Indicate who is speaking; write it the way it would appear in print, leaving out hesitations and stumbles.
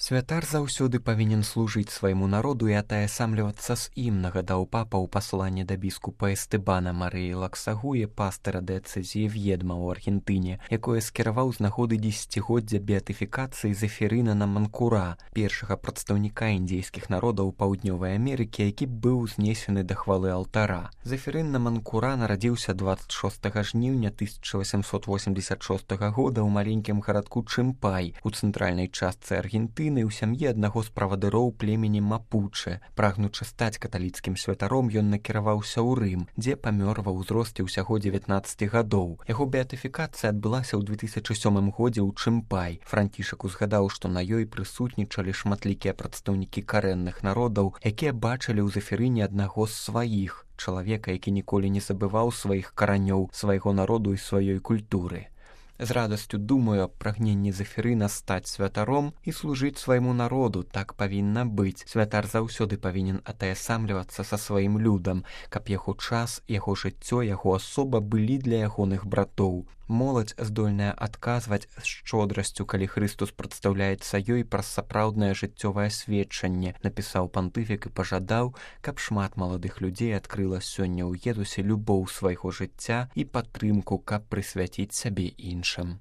Speaker 1: Святар заўсёды павінен служыць свайму народу і атаясамлівацца з ім, нагадаў папа ў пасланні да біскупа Эстэбана Марыі Лаксагуе, пастыра дыэцэзіі В'едма ў Аргентыне, якое скіраваў з нагоды 10-годдзя беатыфікацыі Зефірына Наманкура, першага прадстаўніка індзейскіх народаў Паўднёвай Амерыкі, які быў знесены да хвалы алтара. Зефірын Наманкура нарадзіўся 26 жніўня 1886 года ў маленькім гарадку Чымпай у цэнтральнай частцы Аргентыны ў сям'і аднаго з правадыроў племені Мапучэ. Прагнучы стаць каталіцкім святаром, ён накіраваўся ў Рым, дзе памёр ва ўзросце ўсяго 19 гадоў. Яго беатыфікацыя адбылася ў 2007 годзе ў Чымпай. Францішак узгадаў, што на ёй прысутнічалі шматлікія прадстаўнікі карэнных народаў, якія бачылі ў Зефірыне аднаго з сваіх, чалавека, які ніколі не забываў сваіх каранёў, свайго народу і сваёй культуры. З радасцю думаю аб прагненні Зефірына стаць святаром і служыць свайму народу. Так павінна быць. Святар заўсёды павінен атаясамлівацца са сваім людам, каб яго час, яго жыццё, яго асоба былі для ягоных братоў. Моладзь здольная адказваць з шчодрасцю, калі Хрыстус прадстаўляецца ёй праз сапраўднае жыццёвае сведчанне, напісаў пантыфік і пажадаў, каб шмат маладых людзей адкрыла сёння ў Езусе любоў свайго жыцця і падтрымку, каб прысвяціць сябе іншым.